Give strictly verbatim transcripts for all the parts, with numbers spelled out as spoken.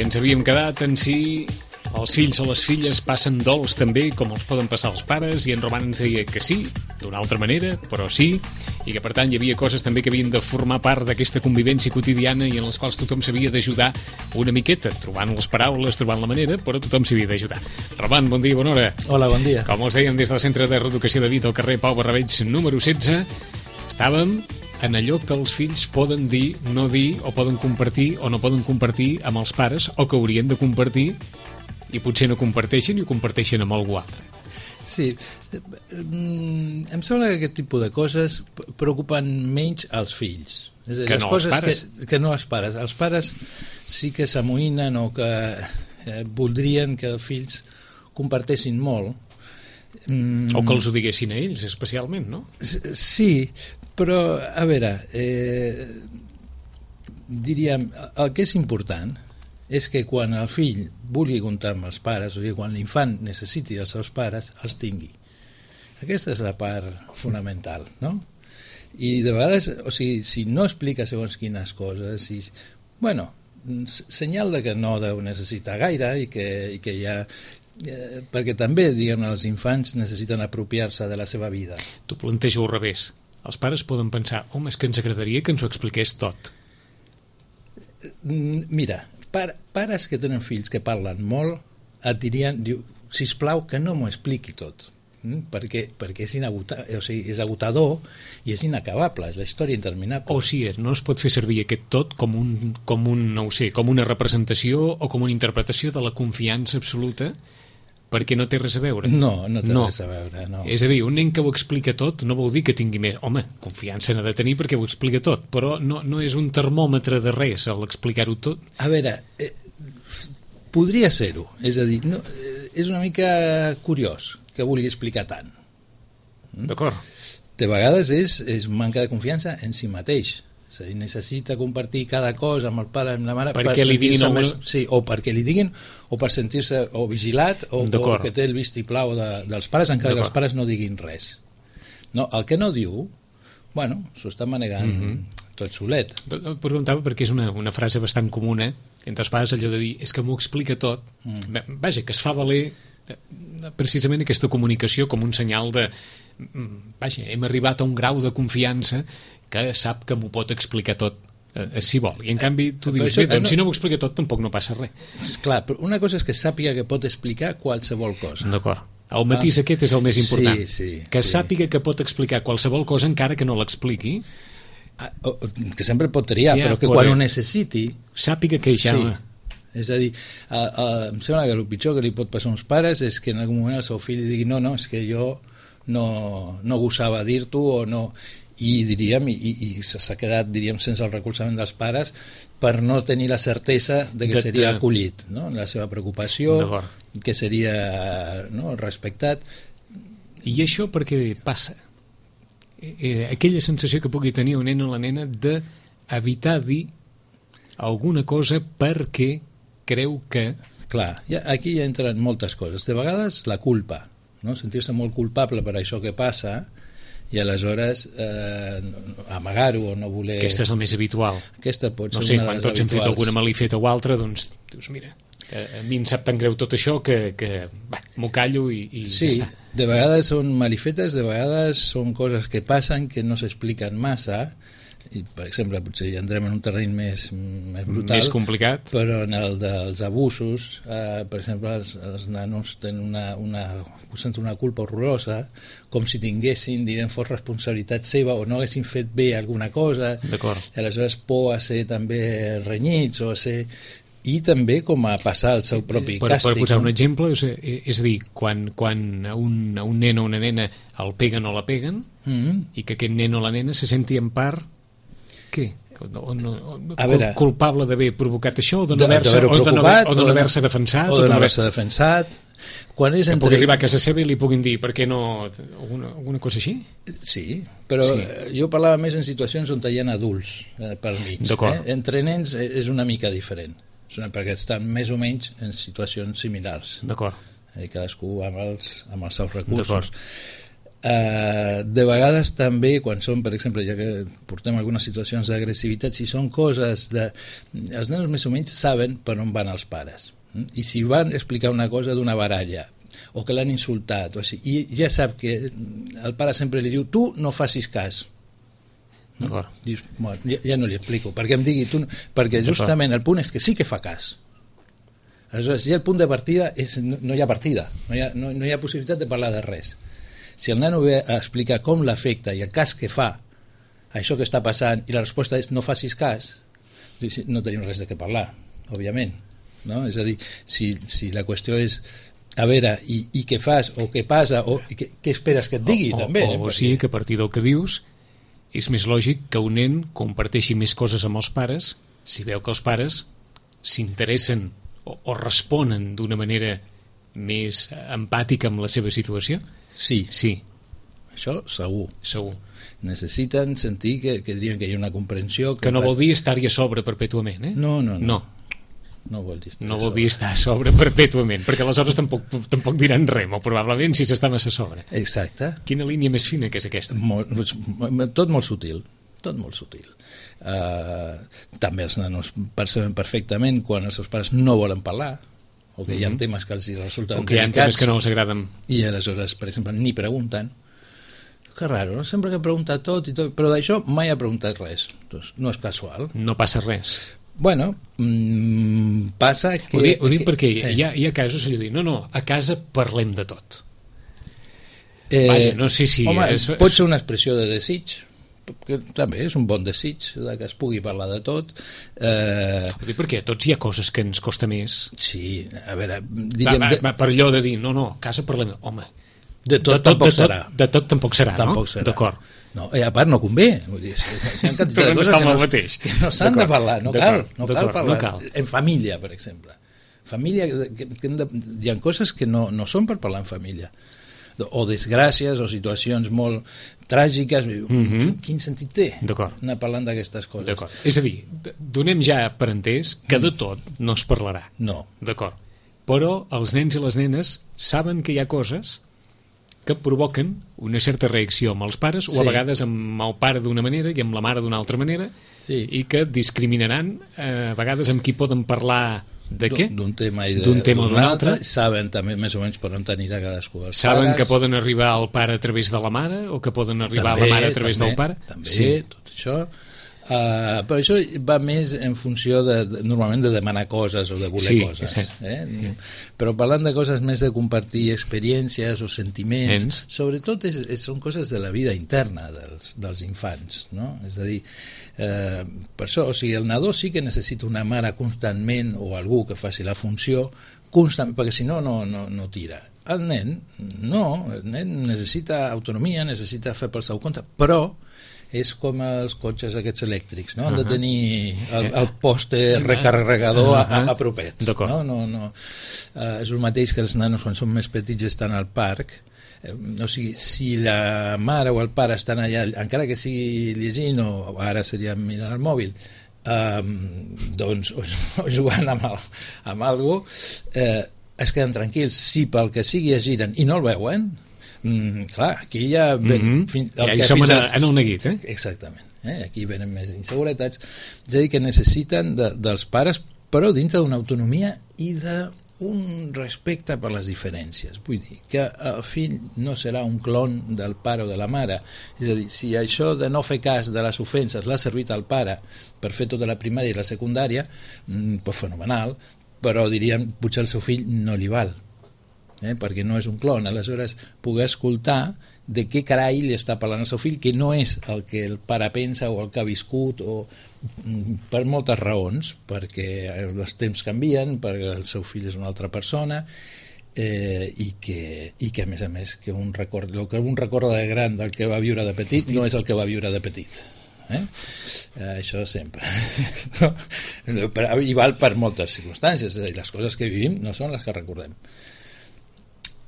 ens havíem quedat en si els fills o les filles passen dols també com els poden passar els pares, i en Roman ens deia que sí, d'una altra manera, però sí, i que per tant hi havia coses també que havien de formar part d'aquesta convivència quotidiana i en les quals tothom s'havia d'ajudar una miqueta, trobant les paraules, trobant la manera, però tothom s'havia d'ajudar. Roman, bon dia, bona hora. Hola, bon dia. Com us dèiem des del Centre de Reeducació de Vita al carrer Pau Barrabeig número setze, estàvem en allò que els fills poden dir, no dir, o poden compartir o no poden compartir amb els pares, o que haurien de compartir i potser no comparteixen i ho comparteixen amb algú altre. Sí, em sembla que aquest tipus de coses preocupen menys als fills. És a dir, que les no coses els pares. Que, que no els pares. Els pares sí que s'amoïnen o que eh, voldrien que els fills comparteixin molt. Mm. O que els ho diguessin a ells, especialment, no? Sí, però, a veure, eh, diríem, el que és important és que quan el fill vulgui comptar amb els pares, o sigui, quan l'infant necessiti els seus pares, els tingui. Aquesta és la part fonamental, no? I de vegades, o sigui, si no explica segons quines coses, si, bueno, senyal de que no deu necessitar gaire i que, i que ja... Eh, perquè també, diguem, els infants necessiten apropiar-se de la seva vida. T'ho plantejo al revés. Els pares poden pensar, home, és que ens agradaria que ens ho expliqués tot. Mira, Par, pares que tenen fills que parlen molt et dirien, diu, sisplau que no m'ho expliqui tot, mm? perquè, perquè és, inaguta, o sigui, és agotador i és inacabable, és la història interminable. O sigui, no es pot fer servir aquest tot com un, com un, no ho sé, com una representació o com una interpretació de la confiança absoluta, perquè no té res a veure. No, no té no. res a veure, no. És a dir, un nen que ho explica tot no vol dir que tingui més. Home, confiança n'ha de tenir perquè ho explica tot, però no, no és un termòmetre de res al explicar-ho tot. A veure, eh, podria ser-ho, és a dir, no, eh, és una mica curiós que vulgui explicar tant. Mm? D'acord. De vegades és, és manca de confiança en si mateix. És a dir, necessita compartir cada cosa amb el pare, amb la mare, perquè per li diguin més, sí, o perquè li diguin, o per sentir-se o vigilat, o, o que té el vistiplau de, dels pares, encara que els pares no diguin res. No, el que no diu, bueno, s'ho està manegant mm-hmm. tot solet. Et preguntava perquè és una, una frase bastant comuna entre els pares, allò de dir, és que m'ho explica tot. Mm. Vaja, que es fa valer precisament aquesta comunicació com un senyal de, vaja, hem arribat a un grau de confiança que sap que m'ho pot explicar tot, eh, si vol. I en canvi tu dius, això, bé, doncs no... si no m'ho explica tot tampoc no passa res. Clar, però una cosa és que sàpiga que pot explicar qualsevol cosa. D'acord. El matís ah. aquest és el més important. Sí, sí, que sí. sàpiga que pot explicar qualsevol cosa encara que no l'expliqui. Ah, que sempre pot triar, ja, però que quan ho necessiti... Sàpiga que ja... Sí. És a dir, a, a, em sembla que el pitjor que li pot passar a uns pares és que en algun moment el seu fill li digui no, no, és que jo no, no gosava dir-t'ho o no... i diríem, i, i s'ha quedat, diríem, sense el recolzament dels pares per no tenir la certesa de que de, seria de... acollit, no? La seva preocupació, que seria, no, respectat. I això per què passa? Eh, aquella sensació que pugui tenir un nen o la nena d'evitar dir alguna cosa perquè creu que... Clar, ja, aquí ja entren moltes coses. De vegades la culpa, no? Sentir-se molt culpable per això que passa i aleshores eh, amagar-ho o no voler... Aquesta és el més habitual. Aquesta pot ser no sé, una de les quan tots habituals. hem fet alguna malifeta o altra, doncs dius, mira, a mi em sap tan greu tot això que, que m'ho callo i, i sí, ja està. De vegades són malifetes, de vegades són coses que passen que no s'expliquen massa, i per exemple potser ja entrem en un terreny més, més brutal, més complicat, però en el dels abusos, eh, per exemple els, els nanos tenen una, una, senten una culpa horrorosa, com si tinguessin, direm, fos responsabilitat seva o no haguessin fet bé alguna cosa. D'acord. I aleshores por a ser també renyits o a ser... i també com a passar el seu propi per, càstig. Per posar no? un exemple, és, és a dir, quan, quan a, un, a un nen o una nena el peguen o la peguen, mm-hmm. i que aquest nen o la nena se senti en part què? O no, o, a veure, culpable d'haver provocat això o de no haver-se no haver-se defensat o de no haver-se defensat quan és que entre... pugui arribar a casa seva i li puguin dir per què no... alguna, alguna cosa així? Sí, però sí. Jo parlava més en situacions on hi ha adults eh, pel mig. Eh? Entre nens és una mica diferent, perquè estan més o menys en situacions similars. D'acord. Eh, cadascú amb els, amb els seus recursos. Uh, de vegades també quan són, per exemple, ja que portem algunes situacions d'agressivitat, si són coses de... els nens més o menys saben per on van els pares, i si van explicar una cosa d'una baralla o que l'han insultat o així, i ja sap que el pare sempre li diu tu no facis cas, no? Dius, bueno, ja, ja no li explico perquè em digui tu no, perquè justament el punt és que sí que fa cas. Aleshores, ja el punt de partida és, no, no hi ha partida, no hi ha, no, no hi ha possibilitat de parlar de res. Si el nano ve a explicar com l'afecta i el cas que fa això que està passant i la resposta és no facis cas, no tenim res de què parlar, òbviament, no? És a dir, si, si la qüestió és a veure, i, i què fas o què passa o què, què esperes que et digui, o, també. O, o, o sigui que a partir del que dius és més lògic que un nen comparteixi més coses amb els pares si veu que els pares s'interessen o, o responen d'una manera més empàtica amb la seva situació. Sí, sí. Això segur. Segur. Necessiten sentir que, que dirien que hi ha una comprensió... Que, que no vol dir estar-hi a sobre perpètuament, eh? No, no, no. No, no vol dir, no vol dir estar a sobre perpètuament, perquè aleshores tampoc, tampoc diran res, molt probablement, si s'està massa a sobre. Exacte. Quina línia més fina que és aquesta? Molt, tot molt sutil, tot molt sutil. Uh, també els nanos perceben perfectament quan els seus pares no volen parlar, o que hi ha temes que els resulten o que hi ha temes que no els agraden i aleshores, per exemple, ni pregunten. Que raro, no? Sempre que pregunta tot i tot, però d'això mai ha preguntat res, doncs no és casual. No passa res. Bueno, mmm, passa que... Ho dic, ho dic que, perquè eh. hi, ha, hi ha casos que diuen, no, no, a casa parlem de tot. Eh, Vaja, no sé si... Home, és, pot ser una expressió de desig, que també és un bon desig que es pugui parlar de tot. Eh... Ho dic perquè a tots hi ha coses que ens costa més. Sí, a veure... Diríem, va, va, va, per allò de dir, no, no, a casa parlem... Home, de tot, de tot tampoc de tot, serà. De tot tampoc serà, tampoc no? Serà. D'acord. No, i a part no convé. Vull dir, hi ha quantitat de coses que no, que no s'han de parlar. No cal, no cal parlar. No cal. En família, per exemple. Família, que, que hem de, hi ha coses que no, no són per parlar en família. O desgràcies o situacions molt tràgiques. Mm-hmm. quin, quin sentit té anar parlant d'aquestes coses? D'acord. És a dir, donem ja per entès que de tot no es parlarà. No. D'acord. Però els nens i les nenes saben que hi ha coses que provoquen una certa reacció amb els pares, o a sí. vegades amb el pare d'una manera i amb la mare d'una altra manera, sí. i que discriminaran eh, a vegades amb qui poden parlar de què? D'un tema i d'un tema o d'un altre. Saben també més o menys per on anirà cadascú dels Saben pares. Que poden arribar al pare a través de la mare o que poden arribar també, a la mare a través també, del pare. També, sí. Tot això. Uh, però això va més en funció de, de, normalment de demanar coses o de voler sí, coses. Sí. Eh? Sí. Però parlant de coses més de compartir experiències o sentiments, Ens. sobretot és, és, són coses de la vida interna dels, dels infants, no? És a dir, eh, per això, o sigui, el nadó sí que necessita una mare constantment o algú que faci la funció constant, perquè si no, no, no, no tira. El nen, no, el nen necessita autonomia, necessita fer pel seu compte, però és com els cotxes aquests elèctrics, no? Han de tenir el, el poste recarregador a, a propet. No? No, no. Uh, és el mateix que els nanos quan són més petits estan al parc. Eh, o sigui, si la mare o el pare estan allà, encara que sigui llegint o ara seria mirant el mòbil, um, doncs o, o jugant amb, el, amb algú, eh, es queden tranquils. Si pel que sigui es giren i no el veuen, Mm, clar, aquí ja ven, mm-hmm. fin, el ja hi som en, en el neguit, eh? Exactament, eh? Aquí venen més inseguretats, és a dir, que necessiten de, dels pares, però dintre d'una autonomia i d'un respecte per les diferències. Vull dir que el fill no serà un clon del pare o de la mare, és a dir, si això de no fer cas de les ofenses l'ha servit al pare per fer tota la primària i la secundària, mm, pues fenomenal, però diríem potser el seu fill no li val, Eh, perquè no és un clon, aleshores poder escoltar de què carai li està parlant el seu fill, que no és el que el pare pensa o el que ha viscut, o per moltes raons, perquè els temps canvien, perquè el seu fill és una altra persona, eh, i, que, i que a més a més que un record, el que un recorda de gran del que va viure de petit no és el que va viure de petit. Eh? Eh, això sempre. No? I val per moltes circumstàncies, és a dir, les coses que vivim no són les que recordem.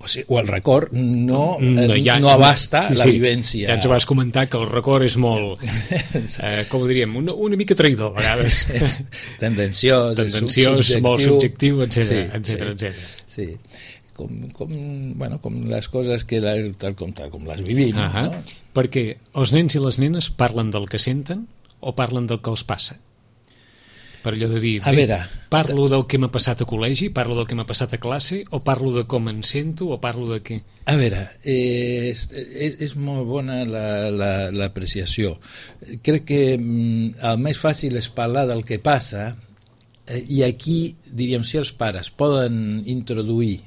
O, sigui, o el record no, no, ja, no abasta sí, la sí. vivència. Ja ens vas comentar que el record és molt, eh, com ho diríem, una, una mica traïdor a vegades. Tendenciós, Tendenciós, subjectiu. molt subjectiu, etcètera, Sí, etcètera, sí, etcètera. sí. com, com, bueno, com les coses que la, tal, com, tal com les vivim. Uh -huh. No? Perquè els nens i les nenes parlen del que senten o parlen del que els passa? Per allò de dir, a bé, veure, parlo del que m'ha passat a col·legi, parlo del que m'ha passat a classe, o parlo de com em sento, o parlo de què? A veure, eh, és, és molt bona l'apreciació. La, la, Crec que mm, el més fàcil és parlar del que passa, eh, i aquí, diríem, si els pares poden introduir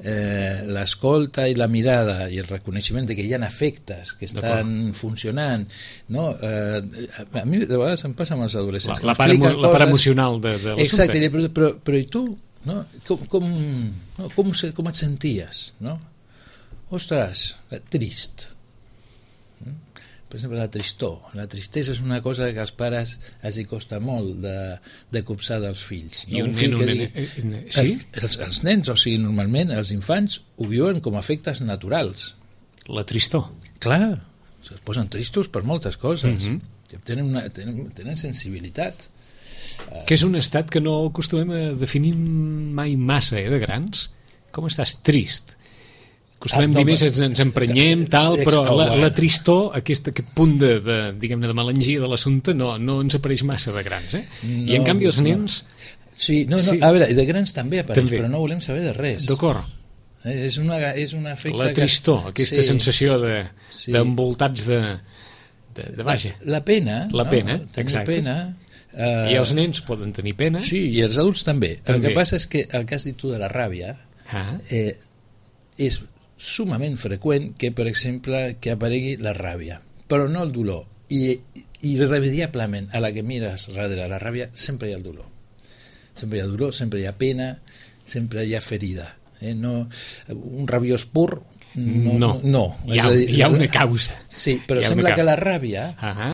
eh, l'escolta i la mirada i el reconeixement de que hi ha efectes que estan funcionant, no? Eh, a mi de vegades em passa amb els adolescents, la, la, part, emo, la part emocional de, de l'assumpte. Exacte, però, però, però i tu, no? com, com, no? Com, com et senties, no? Ostres, trist. Per exemple, la tristor. La tristesa és una cosa que als pares els hi costa molt de, de copsar dels fills. I no? un, un fill nen, que un digui, nen, eh, sí? Els, els, els nens, o sigui, normalment els infants ho viuen com a efectes naturals. La tristor. Clar, es posen tristos per moltes coses. Uh -huh. tenen, una, tenen, tenen sensibilitat. Que és un estat que no acostumem a definir mai massa, eh, de grans. Com estàs? Trist. Acostumem ah, no, dir més, ens, ens emprenyem, tal, però la, la tristor, aquest, aquest punt de, de, diguem-ne, de melangia de l'assumpte no, no ens apareix massa de grans, eh? No, I en canvi els nens... No. Sí, no, no, sí. A veure, de grans també apareix, també. Però no volem saber de res. D'acord. Eh, és, una, és un efecte... La tristor, que... aquesta sí. sensació de, sí. d'envoltats de, de, de vaja. La, la pena. La pena, no? Exacte. Pena, uh... I els nens poden tenir pena. Sí, i els adults també. també. El que passa és que el que has dit tu de la ràbia ah. eh, és sumament freqüent que, per exemple, que aparegui la ràbia, però no el dolor. I, i irremediablement, a la que mires darrere la ràbia, sempre hi ha el dolor. Sempre hi ha dolor, sempre hi ha pena, sempre hi ha ferida. Eh? No, un rabiós pur, no. no, no. Hi, ha, dir, hi ha una causa. Sí, però sembla que la ràbia... Uh -huh.